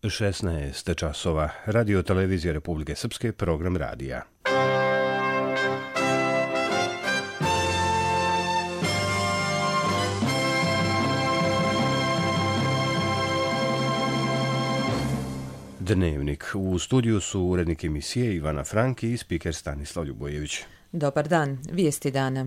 16 časova. Radio televizija Republike Srpske, program radija. Dnevnik. U studiju su urednik emisije Ivana Franki i spiker Stanislav Ljubojević. Dobar dan, vijesti dana.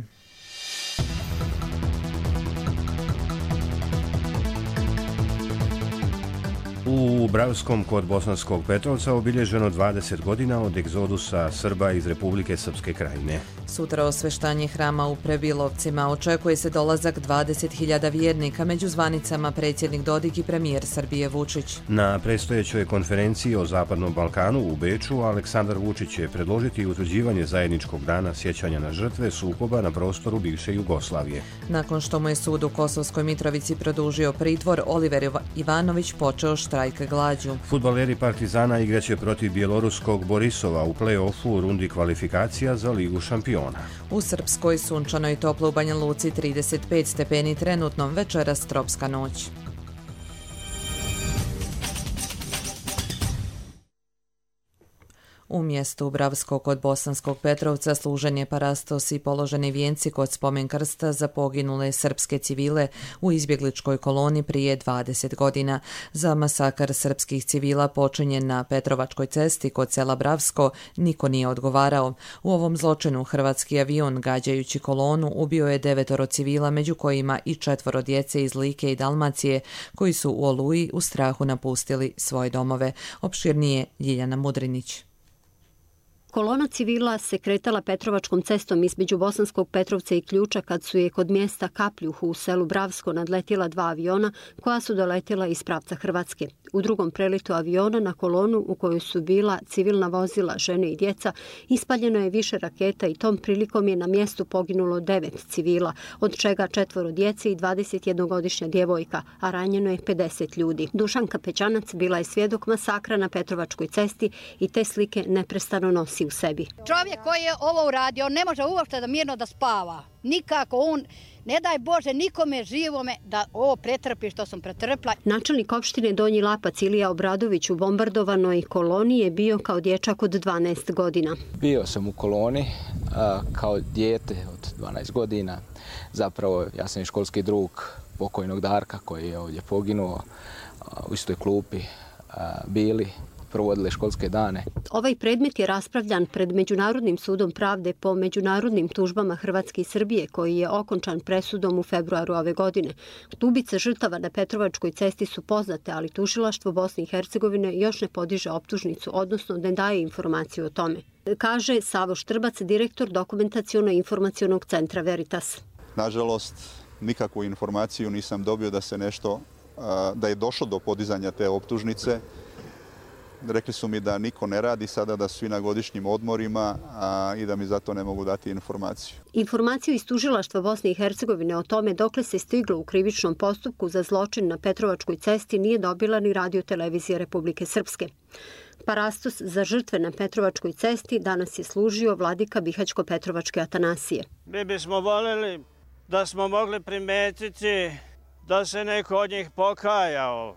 U Bravskom kod Bosanskog Petrovca obilježeno 20 godina od egzodusa Srba iz Republike Srpske Krajine. Sutra osveštanje hrama u Prebilovcima. Očekuje se dolazak 20.000 vjernika, među zvanicama predsjednik Dodik i premijer Srbije Vučić. Na predstojećoj konferenciji o Zapadnom Balkanu u Beču Aleksandar Vučić će predložiti utvrđivanje zajedničkog dana sjećanja na žrtve sukoba na prostoru bivše Jugoslavije. Nakon što mu je sud u Kosovskoj Mitrovici produžio pritvor, Oliver Ivanović počeo štrajk glađu. Fudbaleri Partizana igraće protiv bjeloruskog Borisova u play-offu u rundi kvalifikacija za Ligu šampiona. U Srpskoj sunčano i toplo u Banja Luci 35 stepeni trenutno, večeras tropska noć. U mjestu Bravskog kod Bosanskog Petrovca služen je parastos i položeni vijenci kod spomen krsta za poginule srpske civile u izbjegličkoj koloni prije 20 godina. Za masakar srpskih civila počinjen na Petrovačkoj cesti kod sela Bravsko niko nije odgovarao. U ovom zločinu hrvatski avion, gađajući kolonu, ubio je 9 civila, među kojima i 4 djece iz Like i Dalmacije, koji su u Oluji u strahu napustili svoje domove. Opširnije Ljiljana Mudrinić. Kolona civila se kretala Petrovačkom cestom između Bosanskog Petrovca i Ključa kad su je kod mjesta Kapljuh u selu Bravsko nadletjela 2 aviona koja su doletjela iz pravca Hrvatske. U drugom prelitu aviona na kolonu u kojoj su bila civilna vozila, žene i djeca, ispaljeno je više raketa i tom prilikom je na mjestu poginulo 9 civila, od čega 4 djece i 21-godišnja djevojka, a ranjeno je 50 ljudi. Dušanka Pećanac bila je svjedok masakra na Petrovačkoj cesti i te slike neprestano nosi u sebi. Čovjek koji je ovo uradio, on ne može uopšte da mirno da spava. Nikako on, ne daj Bože nikome živome da ovo pretrpi što sam pretrpla. Načelnik opštine Donji Lapac Ilija Obradović u bombardovanoj koloni je bio kao dječak od 12 godina. Bio sam u koloni kao dijete od 12 godina. Zapravo ja sam i školski drug pokojnog Darka koji je ovdje poginuo u istoj klupi bili. Provodile školske dane. Ovaj predmet je raspravljan pred Međunarodnim sudom pravde po međunarodnim tužbama Hrvatske i Srbije, koji je okončan presudom u februaru ove godine. Tubice žrtava na Petrovačkoj cesti su poznate, ali tužilaštvo Bosne i Hercegovine još ne podiže optužnicu, odnosno ne daje informaciju o tome. Kaže Savo Štrbac, direktor Dokumentaciono-informacionog centra Veritas. Nažalost, nikakvu informaciju nisam dobio da se nešto, da je došlo do podizanja te optužnice. Rekli su mi da niko ne radi sada, da su svi na godišnjim odmorima i da mi zato ne mogu dati informaciju. Informaciju iz tužilaštva Bosne i Hercegovine o tome dokle se stiglo u krivičnom postupku za zločin na Petrovačkoj cesti nije dobila ni Radio televizija Republike Srpske. Parastos za žrtve na Petrovačkoj cesti danas je služio vladika Bihaćko-Petrovačke Atanasije. Mi bismo voljeli da smo mogli primetiti da se neko od njih pokajao,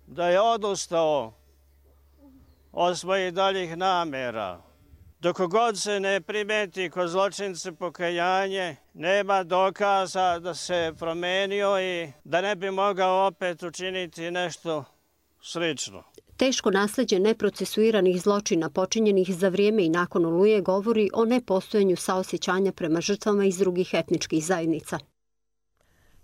da je odustao od svojih daljih namjera. Dok god se ne primeti kod zločince pokajanje, nema dokaza da se promenio i da ne bi mogao opet učiniti nešto slično. Teško nasljeđe neprocesuiranih zločina počinjenih za vrijeme i nakon Oluje govori o nepostojanju saosjećanja prema žrtvama iz drugih etničkih zajednica.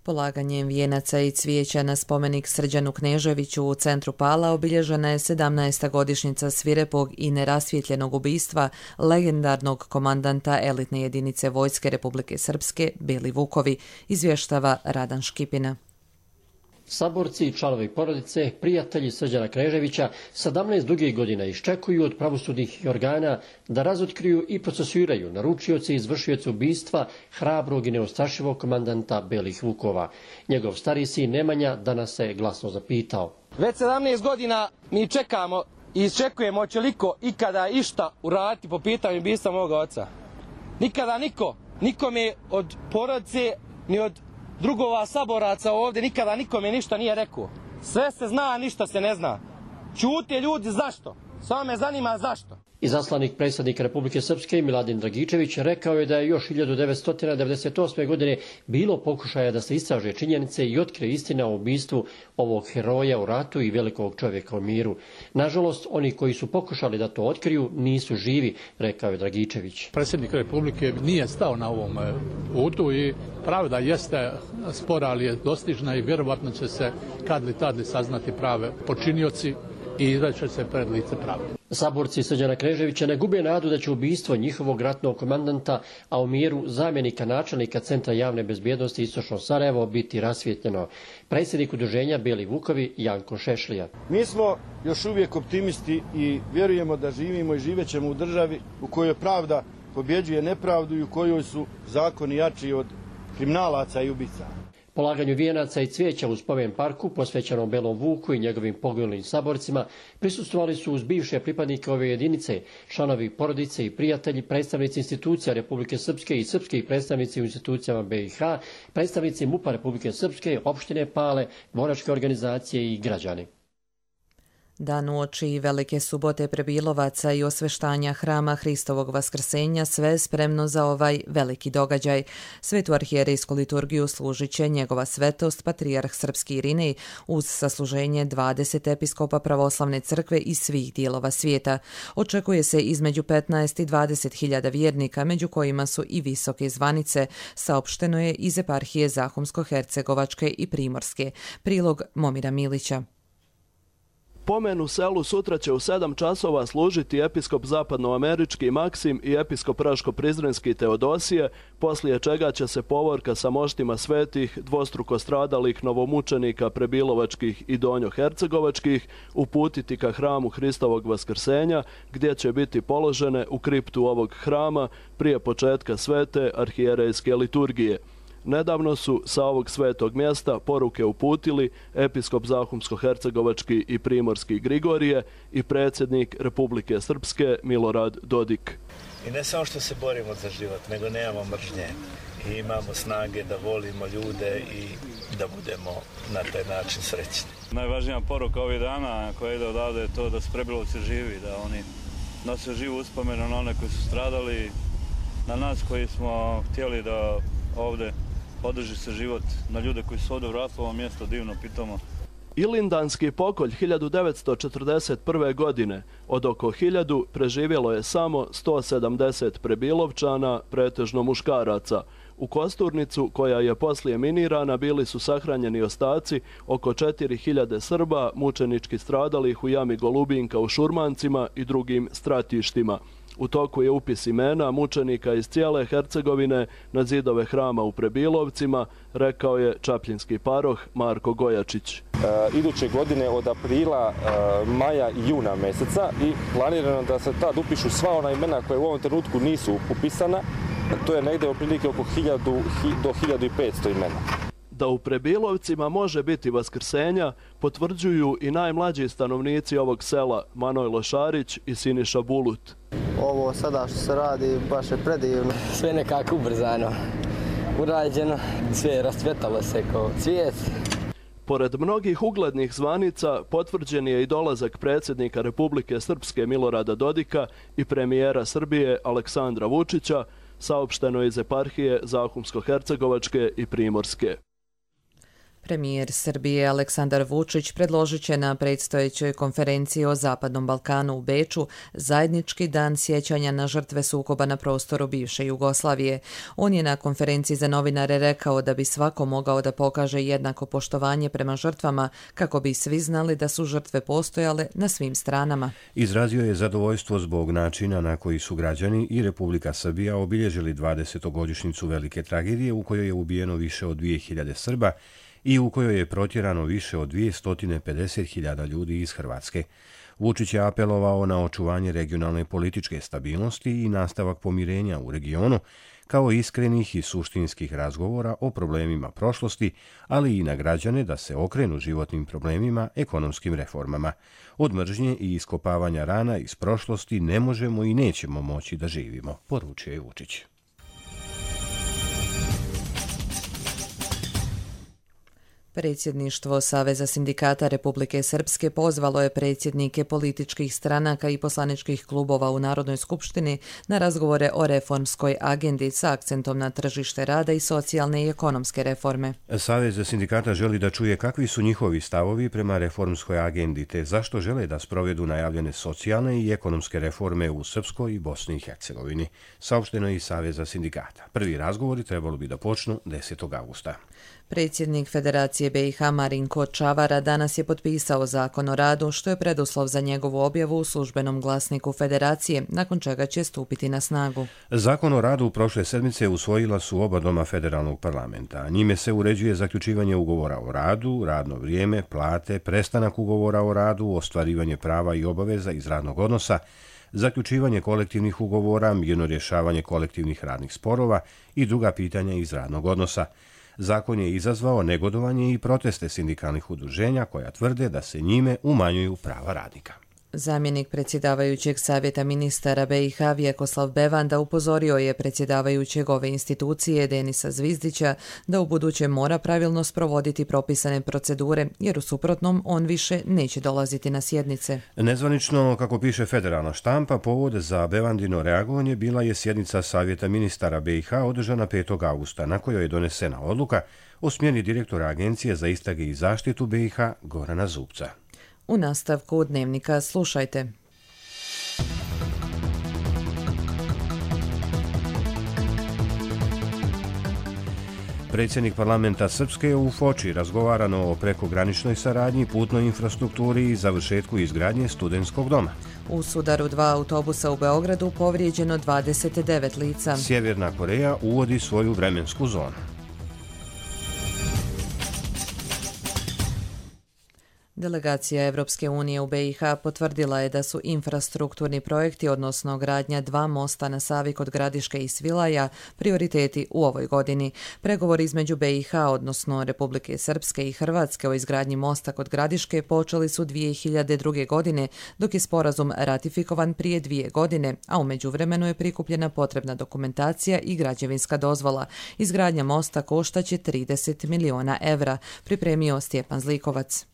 Polaganjem vijenaca i cvijeća na spomenik Srđanu Kneževiću u centru Pala obilježena je 17. godišnjica svirepog i nerasvjetljenog ubistva legendarnog komandanta elitne jedinice Vojske Republike Srpske Beli Vukovi, izvještava Radan Škipina. Saborci i članovi porodice, prijatelji Srđana Kneževića 17 dugih godina iščekuju od pravosudnih organa da razotkriju i procesuiraju naručioce i izvršioce ubistva hrabrog i neustrašivog komandanta Belih Vukova. Njegov stari sin Nemanja danas se glasno zapitao. Već 17 godina mi čekamo i iščekujemo hoće li iko ikada išta uraditi po pitanju ubistva moga oca. Nikada nikome od porodice ni od drugova saboraca ovdje nikada nikome ništa nije rekao. Sve se zna, ništa se ne zna. Ćute ljudi zašto? Samo me zanima zašto. Izaslanik predsjednika Republike Srpske Miladin Dragičević rekao je da je još 1998. godine bilo pokušaja da se istraže činjenice i otkrije istina o ubistvu ovog heroja u ratu i velikog čovjeka u miru. Nažalost, oni koji su pokušali da to otkriju nisu živi, rekao je Dragičević. Predsjednik Republike nije stao na ovom putu i pravda jeste spora, ali je dostižna i vjerovatno će se kad li tad li saznati prave počinioci i izreće se pred lice pravde. Saborci Srđana Kneževića ne gube nadu da će ubistvo njihovog ratnog komandanta, a u miru zamjenika načelnika Centra javne bezbjednosti Istočno Sarajevo biti rasvijetljeno. Predsjednik udruženja Bijeli Vukovi Janko Šešlija. Mi smo još uvijek optimisti i vjerujemo da živimo i živećemo u državi u kojoj pravda pobjeđuje nepravdu i u kojoj su zakoni jači od kriminalaca i ubica. Polaganju vijenaca i cvijeća u spomen parku posvećenom Belom Vuku i njegovim poginulim saborcima prisustvovali su uz bivše pripadnike ove jedinice, članovi porodice i prijatelji, predstavnici institucija Republike Srpske i srpski predstavnici u institucijama BiH, predstavnici MUP-a Republike Srpske, opštine Pale, boračke organizacije i građani. Dan uoči Velike subote prebilovaca i osveštanja hrama Hristovog vaskrsenja sve spremno za ovaj veliki događaj. Svetu arhijerejsku liturgiju služit će njegova svetost patrijarh srpski Irinej uz sasluženje 20 episkopa pravoslavne crkve iz svih dijelova svijeta. Očekuje se između 15 i 20.000 vjernika, među kojima su i visoke zvanice, saopšteno je iz eparhije Zahumsko-Hercegovačke i Primorske. Prilog Momira Milića. Pomen u selu sutra će u 7 časova služiti episkop zapadnoamerički Maksim i episkop Raško-Prizrenski Teodosije, poslije čega će se povorka sa moštima svetih, dvostruko stradalih novomučenika prebilovačkih i donjohercegovačkih uputiti ka hramu Hristovog vaskrsenja, gdje će biti položene u kriptu ovog hrama prije početka svete arhijerejske liturgije. Nedavno su sa ovog svetog mjesta poruke uputili episkop Zahumsko-Hercegovački i Primorski Grigorije i predsjednik Republike Srpske Milorad Dodik. I ne samo što se borimo za život, nego nemamo mržnje i imamo snage da volimo ljude i da budemo na taj način srećni. Najvažnija poruka ovih dana koja ide odavde je to da su prebilovci živi, da oni nose živu uspomenu na one koji su stradali, na nas koji smo htjeli da ovdje održi se život, na ljude koji su ovdje vratili ovo mjesto divno pitamo. Ilindanski pokolj 1941. godine od oko 1000 preživjelo je samo 170 prebilovčana, pretežno muškaraca. U Kosturnicu, koja je poslije minirana, bili su sahranjeni ostaci oko 4000 Srba mučenički stradalih u jami Golubinka u Šurmancima i drugim stratištima. U toku je upis imena mučenika iz cijele Hercegovine na zidove hrama u Prebilovcima, rekao je čapljinski paroh Marko Gojačić. Iduće godine od aprila, maja i juna mjeseca i planirano da se tad upišu sva ona imena koje u ovom trenutku nisu upisana. To je negdje otprilike oko 1000 do 1500 imena. Da u Prebilovcima može biti vaskrsenja potvrđuju i najmlađi stanovnici ovog sela Manojlo Šarić i Siniša Bulut. Ovo sada što se radi baš je predivno. Sve nekako ubrzano, urađeno, sve je rascvetalo se kao cvijet. Pored mnogih uglednih zvanica potvrđen je i dolazak predsjednika Republike Srpske Milorada Dodika i premijera Srbije Aleksandra Vučića, saopšteno iz eparhije Zahumsko-Hercegovačke i Primorske. Premijer Srbije Aleksandar Vučić predložit će na predstojećoj konferenciji o Zapadnom Balkanu u Beču zajednički dan sjećanja na žrtve sukoba na prostoru bivše Jugoslavije. On je na konferenciji za novinare rekao da bi svako mogao da pokaže jednako poštovanje prema žrtvama kako bi svi znali da su žrtve postojale na svim stranama. Izrazio je zadovoljstvo zbog načina na koji su građani i Republika Srbija obilježili 20. velike tragedije u kojoj je ubijeno više od 2000 Srba i u kojoj je protjerano više od 250.000 ljudi iz Hrvatske. Vučić je apelovao na očuvanje regionalne političke stabilnosti i nastavak pomirenja u regionu, kao iskrenih i suštinskih razgovora o problemima prošlosti, ali i na građane da se okrenu životnim problemima, ekonomskim reformama. Od mržnje i iskopavanja rana iz prošlosti ne možemo i nećemo moći da živimo, poručio je Vučić. Predsjedništvo Saveza sindikata Republike Srpske pozvalo je predsjednike političkih stranaka i poslaničkih klubova u Narodnoj skupštini na razgovore o reformskoj agendi sa akcentom na tržište rada i socijalne i ekonomske reforme. Savez sindikata želi da čuje kakvi su njihovi stavovi prema reformskoj agendi te zašto žele da sprovedu najavljene socijalne i ekonomske reforme u Srpskoj i Bosni i Hercegovini, saopšteno je iz Saveza sindikata. Prvi razgovori trebalo bi da počnu 10. augusta. Predsjednik Federacije BiH Marinko Čavara danas je potpisao zakon o radu, što je preduslov za njegovu objavu u službenom glasniku Federacije, nakon čega će stupiti na snagu. Zakon o radu prošle sedmice usvojila su oba doma federalnog parlamenta. Njime se uređuje zaključivanje ugovora o radu, radno vrijeme, plate, prestanak ugovora o radu, ostvarivanje prava i obaveza iz radnog odnosa, zaključivanje kolektivnih ugovora, mirno rješavanje kolektivnih radnih sporova i druga pitanja iz radnog odnosa. Zakon je izazvao negodovanje i proteste sindikalnih udruženja koja tvrde da se njime umanjuju prava radnika. Zamjenik predsjedavajućeg savjeta ministara BiH Vjekoslav Bevanda upozorio je predsjedavajućeg ove institucije Denisa Zvizdića da u buduće mora pravilno sprovoditi propisane procedure, jer u suprotnom on više neće dolaziti na sjednice. Nezvanično, kako piše federalna štampa, povod za Bevandino reagovanje bila je sjednica savjeta ministara BiH održana 5. augusta, na kojoj je donesena odluka o smjeni direktora Agencije za istrage i zaštitu BiH Gorana Zubca. U nastavku Dnevnika slušajte. Predsjednik parlamenta Srpske u Foči razgovarano o prekograničnoj saradnji, putnoj infrastrukturi i završetku izgradnje studentskog doma. U sudaru 2 autobusa u Beogradu povrijeđeno 29 lica. Sjeverna Koreja uvodi svoju vremensku zonu. Delegacija Evropske unije u BiH potvrdila je da su infrastrukturni projekti, odnosno gradnja 2 mosta na Savi kod Gradiške i Svilaja, prioriteti u ovoj godini. Pregovori između BiH, odnosno Republike Srpske i Hrvatske o izgradnji mosta kod Gradiške počeli su 2002. godine, dok je sporazum ratifikovan prije 2 godine, a u međuvremenu je prikupljena potrebna dokumentacija i građevinska dozvola. Izgradnja mosta koštaće 30 miliona evra, pripremio Stjepan Zlikovac.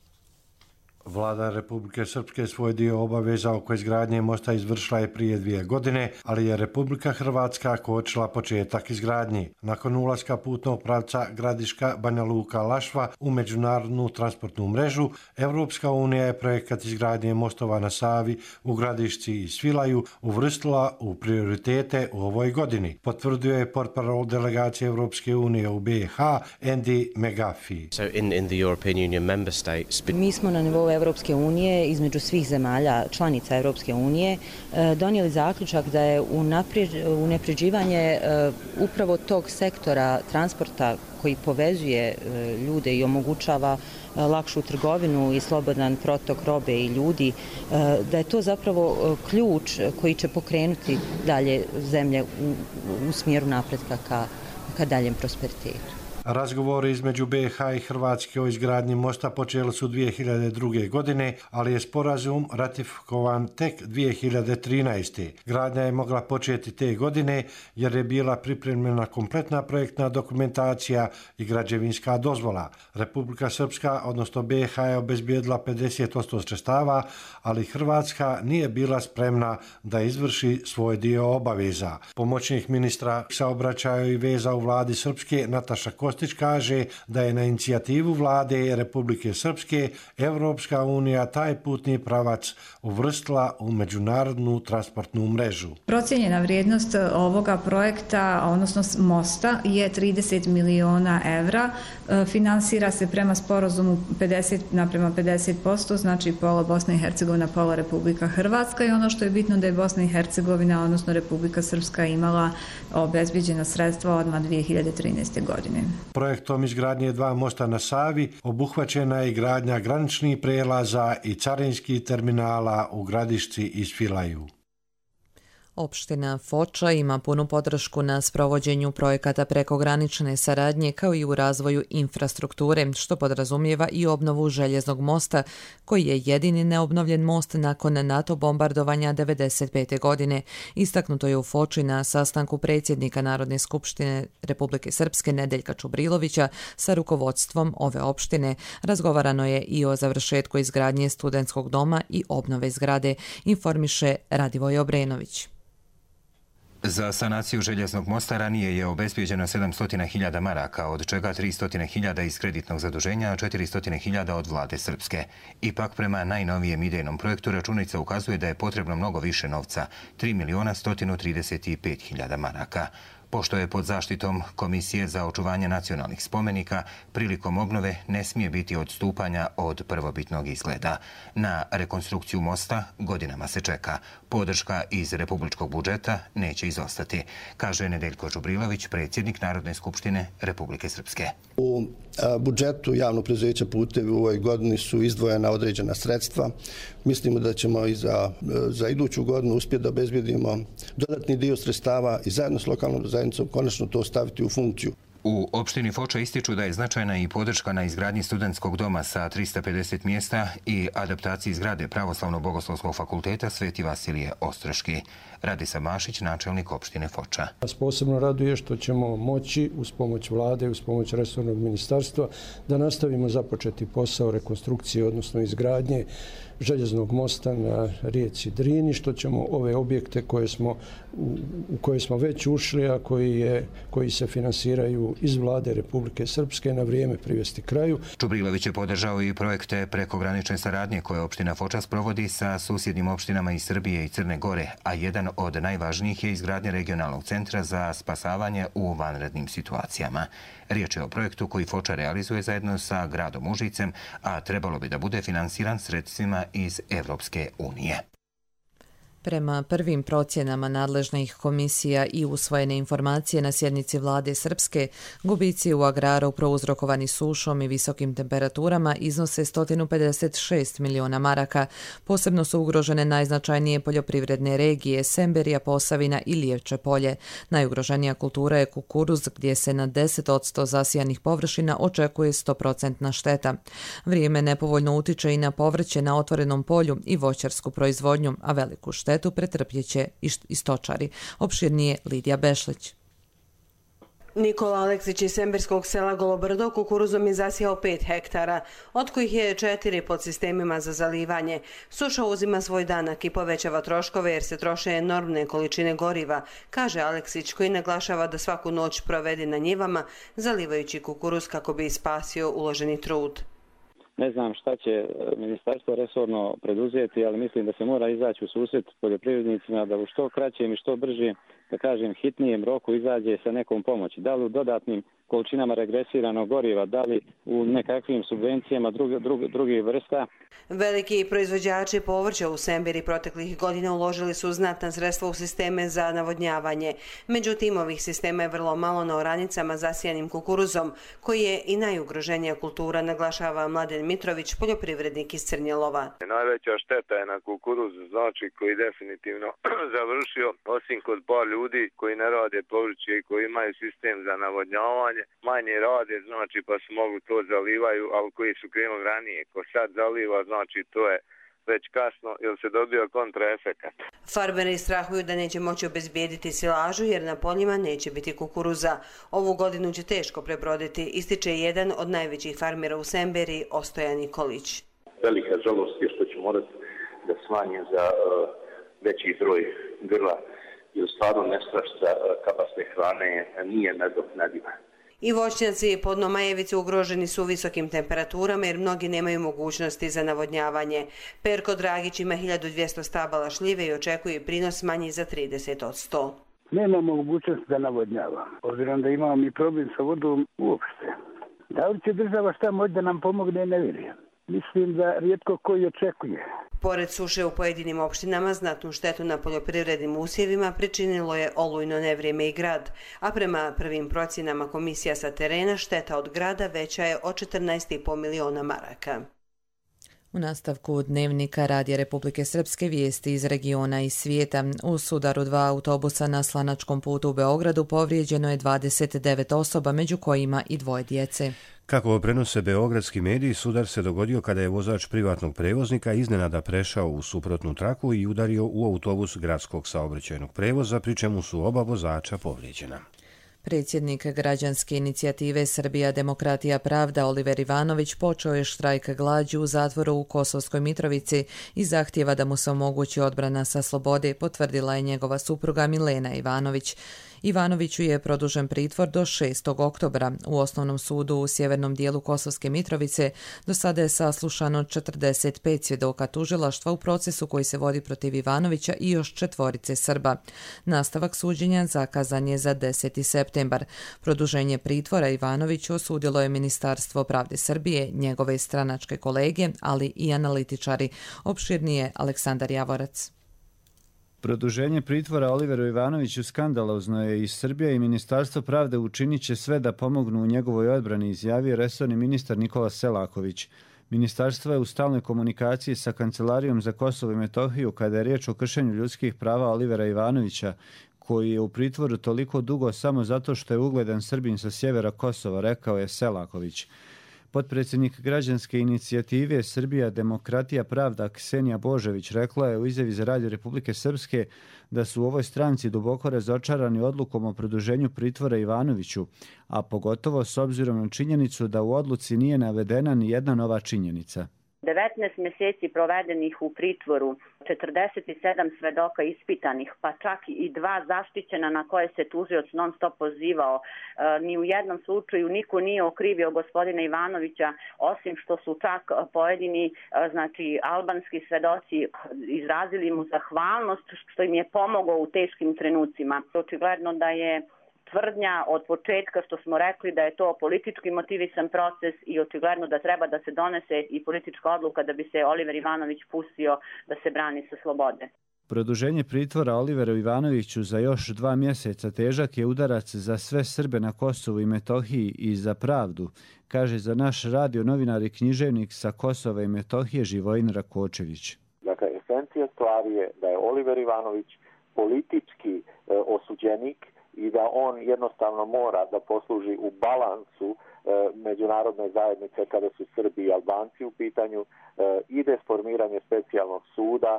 Vlada Republike Srpske svoj dio obaveza oko izgradnje mosta izvršila je prije 2 godine, ali je Republika Hrvatska kočila početak izgradnji. Nakon ulaska putnog pravca Gradiška Banja Luka Lašva u međunarodnu transportnu mrežu, Evropska unija je projekat izgradnje mostova na Savi u Gradišci i Svilaju uvrstila u prioritete u ovoj godini, potvrdio je portparol delegacije Evropske unije u BiH Andy McGuffey. Mi smo na nivou Evropske unije, između svih zemalja članica Evropske unije, donijeli zaključak da je unapređivanje upravo tog sektora transporta koji povezuje ljude i omogućava lakšu trgovinu i slobodan protok robe i ljudi, da je to zapravo ključ koji će pokrenuti dalje zemlje u smjeru napretka ka daljem prosperitetu. Razgovori između BiH i Hrvatske o izgradnji mosta počeli su 2002. godine, ali je sporazum ratifikovan tek 2013. Gradnja je mogla početi te godine jer je bila pripremljena kompletna projektna dokumentacija i građevinska dozvola. Republika Srpska, odnosno BiH, je obezbijedila 50% sredstava, ali Hrvatska nije bila spremna da izvrši svoj dio obaveza. Pomoćnik ministra saobraćaja i veza u vladi Srpske Nataša Kostić kaže da je na inicijativu vlade Republike Srpske Evropska unija taj putni pravac uvrstila u međunarodnu transportnu mrežu. Procijenjena vrijednost ovoga projekta, odnosno mosta, je 30 miliona evra. Finansira se prema sporazumu 50:50%, znači pola Bosna i Hercegovina, pola Republika Hrvatska, i ono što je bitno da je Bosna i Hercegovina, odnosno Republika Srpska, imala obezbijeđena sredstva odmah 2013. godine. Projektom izgradnje 2 mosta na Savi obuhvaćena je gradnja graničnih prelaza i carinskih terminala u Gradišci i Svilaju. Opština Foča ima punu podršku na sprovođenju projekata prekogranične saradnje kao i u razvoju infrastrukture, što podrazumijeva i obnovu željeznog mosta, koji je jedini neobnovljen most nakon NATO bombardovanja 1995. godine. Istaknuto je u Foči na sastanku predsjednika Narodne skupštine Republike Srpske Nedeljka Čubrilovića sa rukovodstvom ove opštine. Razgovarano je i o završetku izgradnje studentskog doma i obnove zgrade, informiše Radivoj Obrenović. Za sanaciju željeznog mosta ranije je obezbijeđeno 700.000 maraka, od čega 300.000 iz kreditnog zaduženja, a 400.000 od vlade Srpske. Ipak, prema najnovijem idejnom projektu, računica ukazuje da je potrebno mnogo više novca, 3.135.000 maraka. Pošto je pod zaštitom Komisije za očuvanje nacionalnih spomenika, prilikom obnove ne smije biti odstupanja od prvobitnog izgleda. Na rekonstrukciju mosta godinama se čeka. Podrška iz republičkog budžeta neće izostati, kaže Nedeljko Čubrilović, predsjednik Narodne skupštine Republike Srpske. U budžetu javnog preduzeća Putevi u ovoj godini su izdvojena određena sredstva. Mislimo da ćemo i za iduću godinu uspjeti da obezbijedimo dodatni dio sredstava i zajedno s lokalnom zajednicom konačno to staviti u funkciju. U opštini Foča ističu da je značajna i podrška na izgradnji studentskog doma sa 350 mjesta i adaptaciji zgrade Pravoslavno-bogoslovskog fakulteta Sveti Vasilije Ostroški. Radisa Mašić, načelnik opštine Foča. Nas posebno raduje što ćemo moći uz pomoć vlade i uz pomoć resornog ministarstva da nastavimo započeti posao rekonstrukcije, odnosno izgradnje željeznog mosta na rijeci Drini, što ćemo ove objekte u koje smo već ušli, a koji se finansiraju iz vlade Republike Srpske na vrijeme privesti kraju. Čubrilović je podržao i projekte prekogranične saradnje koje opština Foča sprovodi sa susjednim opštinama iz Srbije i Crne Gore, a jedan od najvažnijih je izgradnja regionalnog centra za spasavanje u vanrednim situacijama. Riječ je o projektu koji Foča realizuje zajedno sa gradom Užicem, a trebalo bi da bude finansiran sredstvima iz Evropske unije. Prema prvim procjenama nadležnih komisija i usvojene informacije na sjednici vlade Srpske, gubici u agraru prouzrokovani sušom i visokim temperaturama iznose 156 miliona maraka. Posebno su ugrožene najznačajnije poljoprivredne regije Semberija, Posavina i Lijevče polje. Najugroženija kultura je kukuruz, gdje se na 10% zasijanih površina očekuje 100% šteta. Vrijeme nepovoljno utiče i na povrće na otvorenom polju i voćarsku proizvodnju, a veliku štetu pretrpjeće i stočari. Opširnije Lidija Bešlić. Nikola Aleksić iz semberskog sela Golobrdo kukuruzom je zasijao 5 hektara, od kojih je 4 pod sistemima za zalivanje. Suša uzima svoj danak i povećava troškove jer se troše enormne količine goriva, kaže Aleksić, koji naglašava da svaku noć provede na njivama zalivajući kukuruz kako bi spasio uloženi trud. Ne znam šta će ministarstvo resorno preduzeti, ali mislim da se mora izaći u susret poljoprivrednicima da u što kraćem i što brže, da kažem, hitnijem roku izađe sa nekom pomoći. Da li u dodatnim količinama regresiranog goriva, da li u nekakvim subvencijama drugih vrsta. Veliki proizvođači povrća u Semberi proteklih godina uložili su znatna sredstva u sisteme za navodnjavanje. Međutim, ovih sistema je vrlo malo na oranicama zasijanim kukuruzom, koji je i najugroženija kultura, naglašava Mladen Mitrović, poljoprivrednik iz Crnjelova. Najveća šteta je na kukuruz, znači koji definitivno završio, osim kod par ljudi koji ne rade povrće i koji imaju sistem za navodnjavanje. Manje rade, znači pa se mogu to zalivaju, ali koji su krenuli ranije. Ko sad zaliva, znači to je već kasno ili se dobio kontraefekat. Farmeri strahuju da neće moći obezbijediti silažu jer na poljima neće biti kukuruza. Ovu godinu će teško prebroditi, ističe jedan od najvećih farmera u Semberi, Ostoja Nikolić. Velika žalost je što će morati da smanje za veći broj grla jer stvarno nestašica kapacne hrane nije nadoknadiva. I voćnjaci pod Nomajevicu ugroženi su visokim temperaturama jer mnogi nemaju mogućnosti za navodnjavanje. Perko Dragić ima 1200 stabala šljive i očekuje prinos manji za 30%. Nemamo mogućnosti da navodnjavamo, obzirom da imamo mi problem sa vodom uopšte. Da li će država šta moći da nam pomogne, ne vjerujem. Mislim da rijetko koji očekuje. Pored suše u pojedinim opštinama, znatnu štetu na poljoprivrednim usjevima pričinilo je olujno nevrijeme i grad, a prema prvim procjenama komisija sa terena šteta od grada veća je od 14,5 miliona maraka. U nastavku dnevnika Radija Republike Srpske vijesti iz regiona i svijeta. U sudaru 2 autobusa na Slanačkom putu u Beogradu povrijeđeno je 29 osoba, među kojima i 2 djece. Kako prenose beogradski mediji, sudar se dogodio kada je vozač privatnog prevoznika iznenada prešao u suprotnu traku i udario u autobus gradskog saobraćajnog prevoza, pri čemu su oba vozača povrijeđena. Predsjednik građanske inicijative Srbija demokratija pravda Oliver Ivanović počeo je štrajk glađu u zatvoru u Kosovskoj Mitrovici i zahtjeva da mu se omogući odbrana sa slobode, potvrdila je njegova supruga Milena Ivanović. Ivanoviću je produžen pritvor do 6. oktobra. U osnovnom sudu u sjevernom dijelu Kosovske Mitrovice do sada je saslušano 45 svjedoka tužilaštva u procesu koji se vodi protiv Ivanovića i još 4 Srba. Nastavak suđenja zakazan je za 10. septembar. Produženje pritvora Ivanoviću osudilo je Ministarstvo pravde Srbije, njegove stranačke kolege, ali i analitičari. Opširnije Aleksandar Javorac. Produženje pritvora Oliveru Ivanoviću skandalozno je i Srbija i Ministarstvo pravde učinit će sve da pomognu u njegovoj odbrani, izjavio resorni ministar Nikola Selaković. Ministarstvo je u stalnoj komunikaciji sa Kancelarijom za Kosovo i Metohiju kada je riječ o kršenju ljudskih prava Olivera Ivanovića, koji je u pritvoru toliko dugo samo zato što je ugledan Srbin sa sjevera Kosova, rekao je Selaković. Potpredsjednik građanske inicijative Srbija demokratija pravda Ksenija Božević rekla je u izjavi za Radio Republike Srpske da su u ovoj stranci duboko razočarani odlukom o produženju pritvora Ivanoviću, a pogotovo s obzirom na činjenicu da u odluci nije navedena ni jedna nova činjenica. 19 mjeseci provedenih u pritvoru, 47 svedoka ispitanih, pa čak i 2 zaštićena na koje se tužioc non stop pozivao. Ni u jednom slučaju niko nije okrivio gospodina Ivanovića, osim što su čak pojedini, albanski svedoci izrazili mu zahvalnost što im je pomogao u teškim trenucima. Očigledno da je tvrdnja od početka što smo rekli da je to politički motivisan proces i očigledno da treba da se donese i politička odluka da bi se Oliver Ivanović pustio da se brani sa slobode. Produženje pritvora Oliveru Ivanoviću za još 2 mjeseca težak je udarac za sve Srbe na Kosovu i Metohiji i za pravdu, kaže za naš radio novinar i književnik sa Kosova i Metohije Živojin Rakočević. Dakle, esencija stvari je da je Oliver Ivanović politički osuđenik i da on jednostavno mora da posluži u balansu međunarodne zajednice kada su Srbi i Albanci u pitanju, ide formiranje specijalnog suda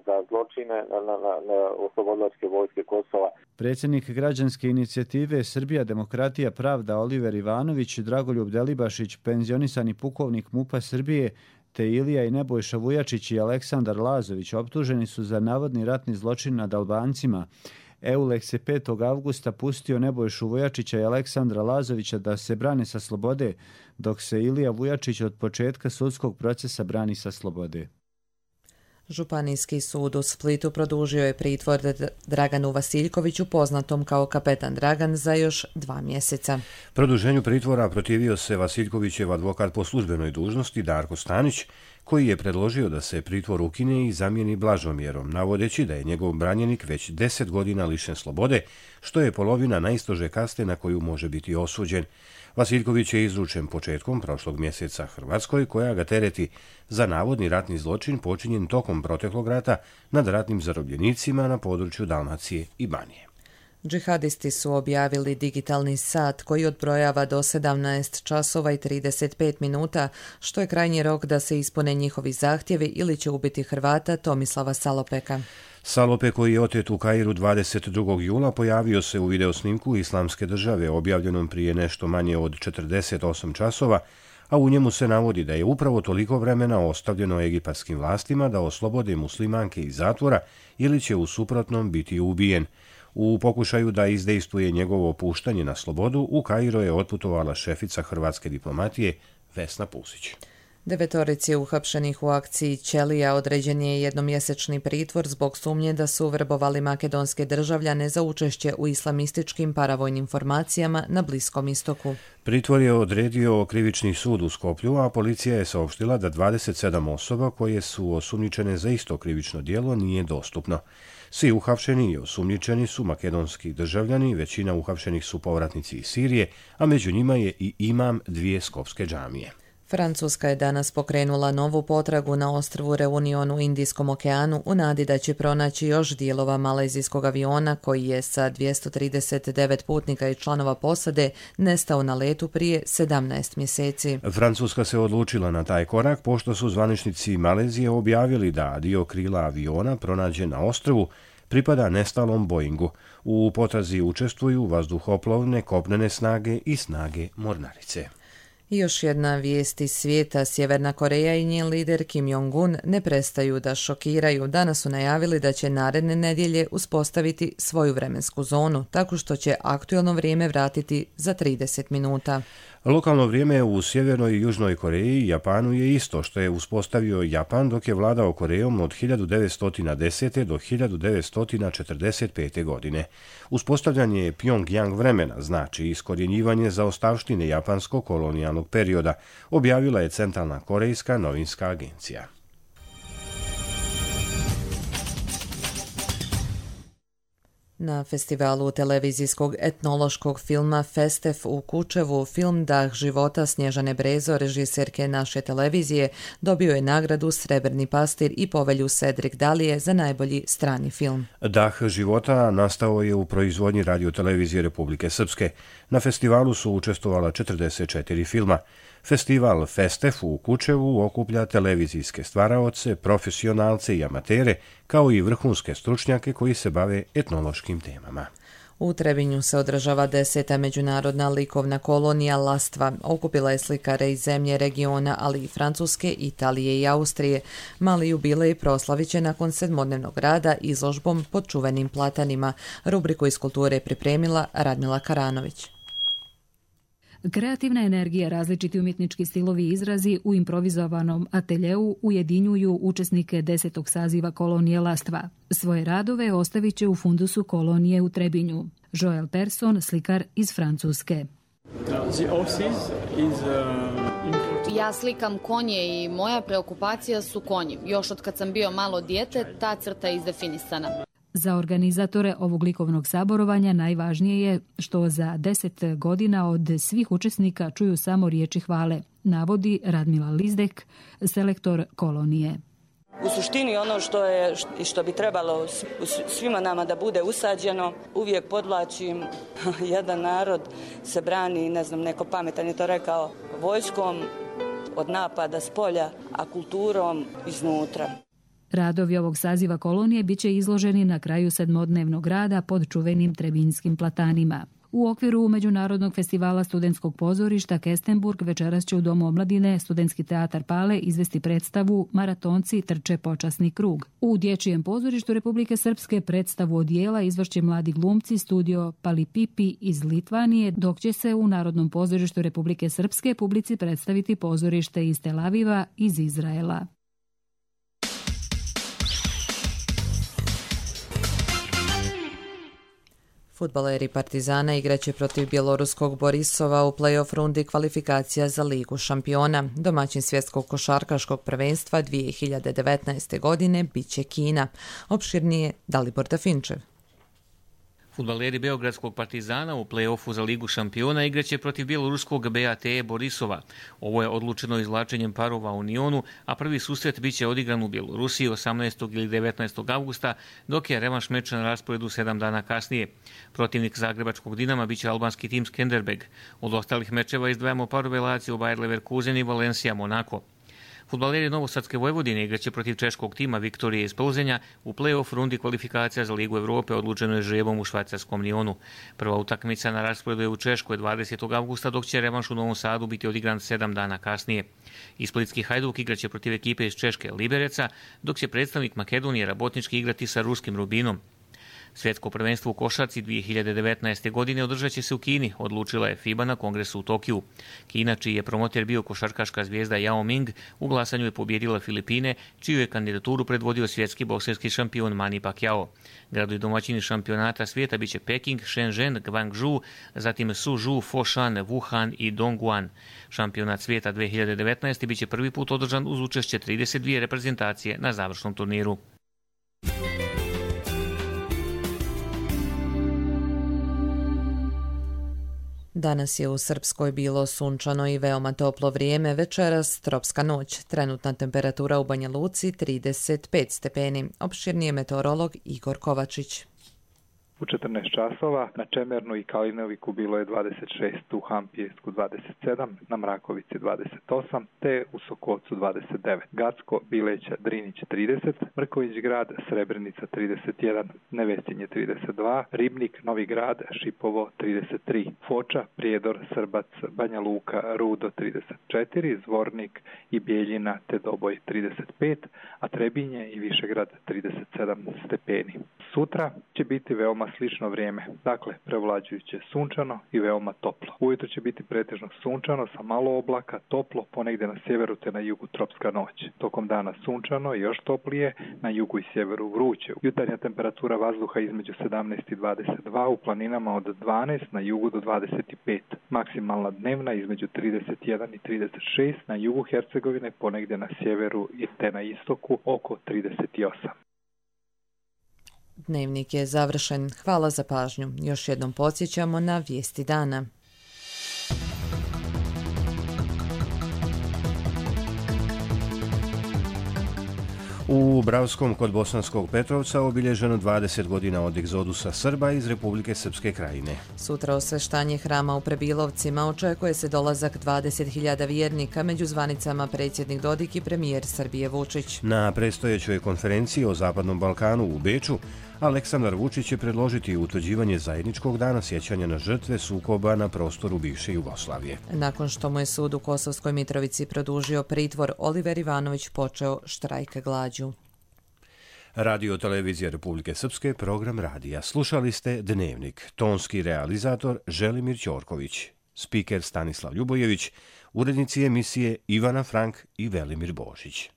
za zločine na oslobodilačke vojske Kosova. Predsjednik građanske inicijative Srbija demokratija pravda Oliver Ivanović, Dragoljub Delibašić, penzionisani pukovnik MUP-a Srbije, te Ilija i Nebojša Vujačić i Aleksandar Lazović optuženi su za navodni ratni zločin nad Albancima. EULEX je 5. avgusta pustio Nebojšu Vujačića i Aleksandra Lazovića da se brane sa slobode, dok se Ilija Vujačić od početka sudskog procesa brani sa slobode. Županijski sud u Splitu produžio je pritvor Draganu Vasiljkoviću, poznatom kao kapetan Dragan, za još 2 mjeseca. Produženju pritvora protivio se Vasiljkovićev advokat po službenoj dužnosti Darko Stanić, koji je predložio da se pritvor ukine i zamijeni blažom mjerom, navodeći da je njegov branjenik već 10 godina lišen slobode, što je polovina najstrože kazne na koju može biti osuđen. Vasiljković je izručen početkom prošlog mjeseca Hrvatskoj, koja ga tereti za navodni ratni zločin počinjen tokom proteklog rata nad ratnim zarobljenicima na području Dalmacije i Banije. Džihadisti su objavili digitalni sat koji odbrojava do 17 časova i 35 minuta, što je krajnji rok da se ispune njihovi zahtjevi ili će ubiti Hrvata Tomislava Salopeka. Salope, koji je otet u Kairu 22. jula, pojavio se u videosnimku Islamske države objavljenom prije nešto manje od 48 časova, a u njemu se navodi da je upravo toliko vremena ostavljeno egipatskim vlastima da oslobode muslimanke iz zatvora ili će u suprotnom biti ubijen. U pokušaju da izdejstvuje njegovo puštanje na slobodu, u Kairo je otputovala šefica hrvatske diplomatije Vesna Pusić. 9 uhapšenih u akciji Ćelija određen je jednomjesečni pritvor zbog sumnje da su vrbovali makedonske državljane za učešće u islamističkim paravojnim formacijama na Bliskom istoku. Pritvor je odredio krivični sud u Skoplju, a policija je saopštila da 27 osoba koje su osumnjičene za isto krivično djelo nije dostupno. Svi uhapšeni i osumnjičeni su makedonski državljani, većina uhapšenih su povratnici iz Sirije, a među njima je i imam 2 skopske džamije. Francuska je danas pokrenula novu potragu na ostrvu Reunion u Indijskom okeanu u nadi da će pronaći još dijelova malezijskog aviona koji je sa 239 putnika i članova posade nestao na letu prije 17 mjeseci. Francuska se odlučila na taj korak pošto su zvaničnici Malezije objavili da dio krila aviona pronađen na ostrvu pripada nestalom Boeingu. U potrazi učestvuju vazduhoplovne, kopnene snage i snage mornarice. I još jedna vijest iz svijeta. Sjeverna Koreja i njen lider Kim Jong-un ne prestaju da šokiraju. Danas su najavili da će naredne nedjelje uspostaviti svoju vremensku zonu, tako što će aktualno vrijeme vratiti za 30 minuta. Lokalno vrijeme u Sjevernoj i Južnoj Koreji i Japanu je isto što je uspostavio Japan dok je vladao Korejom od 1910. do 1945. godine. Uspostavljanje Pyongyang vremena znači iskorjenjivanje zaostavštine japanskog kolonijalnog perioda, objavila je Centralna korejska novinska agencija. Na festivalu televizijskog etnološkog filma Festef u Kučevu film Dah života Snježane Brezo, režiserke naše televizije, dobio je nagradu Srebrni pastir i povelju Cedric Dalije za najbolji strani film. Dah života nastao je u proizvodnji radiotelevizije Republike Srpske. Na festivalu su učestvovala 44 filma. Festival Festef u Kučevu okuplja televizijske stvaraoce, profesionalce i amatere, kao i vrhunske stručnjake koji se bave etnološkim temama. U Trebinju se održava 10. međunarodna likovna kolonija Lastva. Okupila je slikare iz zemlje, regiona, ali i Francuske, Italije i Austrije. Mali jubilej proslavit će nakon 7-dnevnog rada izložbom pod čuvenim platanima. Rubriku iz kulture je pripremila Radmila Karanović. Kreativna energija, različiti umjetnički stilovi i izrazi u improvizovanom ateljeu ujedinjuju učesnike 10. saziva kolonije Lastva. Svoje radove ostavit će u fundusu kolonije u Trebinju. Joel Persson, slikar iz Francuske. Ja slikam konje i moja preokupacija su konji. Još od kad sam bio malo dijete, ta crta je izdefinisana. Za organizatore ovog likovnog saborovanja najvažnije je što za 10 godina od svih učesnika čuju samo riječi hvale, navodi Radmila Lizdek, selektor kolonije. U suštini ono što bi trebalo svima nama da bude usađeno, uvijek podvlačim, jedan narod se brani, ne znam, neko pametan je to rekao, vojskom od napada s polja, a kulturom iznutra. Radovi ovog saziva kolonije bit će izloženi na kraju 7-dnevnog rada pod čuvenim Trebinskim platanima. U okviru Međunarodnog festivala studentskog pozorišta Kestenburg večeras će u Domu omladine Studentski teatar Pale izvesti predstavu Maratonci trče počasni krug. U Dječjem pozorištu Republike Srpske predstavu odijela izvršće mladi glumci studio Palipipi iz Litvanije, dok će se u Narodnom pozorištu Republike Srpske publici predstaviti pozorište iz Tel Aviva iz Izraela. Fudbaleri Partizana igraće protiv bjeloruskog Borisova u play-off rundi kvalifikacija za Ligu šampiona. Domaćin svjetskog košarkaškog prvenstva 2019. godine biće Kina. Opširnije Dalibor Dafinčev. Fudbaleri Beogradskog Partizana u play-offu za Ligu šampiona igraće protiv bjeloruskog BATE Borisova. Ovo je odlučeno izvlačenjem parova u Nionu, a prvi susret biće odigran u Bjelorusiji 18. ili 19. avgusta, dok je revanš meča na rasporedu 7 dana kasnije. Protivnik zagrebačkog Dinama biće albanski tim Skenderbeg. Od ostalih mečeva izdvajamo parove Lazio, Bayer Leverkusen i Valencia Monako. Fudbaleri Novosadske Vojvodine igraće protiv češkog tima Viktorije iz Plzenja u play-off rundi kvalifikacija za Ligu Evrope odlučeno je žrebom u švajcarskom Nionu. Prva utakmica na rasporedu je u Češkoj 20. avgusta, dok će revanš u Novom Sadu biti odigran 7 dana kasnije. I splitski Hajduk igraće protiv ekipe iz Češke Libereca, dok će predstavnik Makedonije Rabotnički igrati sa ruskim Rubinom. Svjetsko prvenstvo u košarci 2019. godine održat će se u Kini, odlučila je FIBA na kongresu u Tokiju. Kina, čiji je promoter bio košarkaška zvijezda Yao Ming, u glasanju je pobjedila Filipine, čiju je kandidaturu predvodio svjetski bokserski šampion Manny Pacquiao. Gradovi domaćini šampionata svijeta biće Peking, Shenzhen, Guangzhou, zatim Suzhou, Foshan, Wuhan i Dongguan. Šampionat svijeta 2019. biće prvi put održan uz učešće 32 reprezentacije na završnom turniru. Danas je u Srpskoj bilo sunčano i veoma toplo vrijeme, večeras tropska noć. Trenutna temperatura u Banja Luci 35 stepeni. Opširnije meteorolog Igor Kovačić. U 14 časova na Čemernu i Kalinoviku bilo je 26, u Hampijesku 27, na Mrakovici 28, te u Sokocu 29, Gacko, Bileća, Drinić 30, Mrković grad, Srebrenica 31, Nevesinje 32, Ribnik, Novi grad, Šipovo 33, Foča, Prijedor, Srbac, Banja Luka, Rudo 34, Zvornik i Bijeljina te Doboj 35, a Trebinje i Višegrad 37 stepeni. Sutra će biti veoma slično vrijeme, dakle prevlađujuće sunčano i veoma toplo. Ujutro će biti pretežno sunčano sa malo oblaka, toplo, ponegdje na sjeveru te na jugu tropska noć. Tokom dana sunčano i još toplije, na jugu i sjeveru vruće. Jutarnja temperatura vazduha između 17 i 22, u planinama od 12, na jugu do 25. Maksimalna dnevna između 31 i 36, na jugu Hercegovine, ponegdje na sjeveru te na istoku oko 38. Dnevnik je završen. Hvala za pažnju. Još jednom podsjećamo na vijesti dana. U Bravskom kod Bosanskog Petrovca obilježeno 20 godina od egzodusa Srba iz Republike Srpske Krajine. Sutra osveštanje hrama u Prebilovcima očekuje se dolazak 20.000 vjernika, među zvanicama predsjednik Dodik i premijer Srbije Vučić. Na predstojećoj konferenciji o Zapadnom Balkanu u Beču Aleksandar Vučić će predložiti utvrđivanje zajedničkog dana sjećanja na žrtve sukoba na prostoru bivše Jugoslavije. Nakon što mu je sud u Kosovskoj Mitrovici produžio pritvor, Oliver Ivanović počeo štrajk glađu. Radio Televizija Republike Srpske, program radija. Slušali ste Dnevnik. Tonski realizator Želimir Ćorković. Spiker Stanislav Ljubojević. Urednici emisije Ivana Frank i Velimir Božić.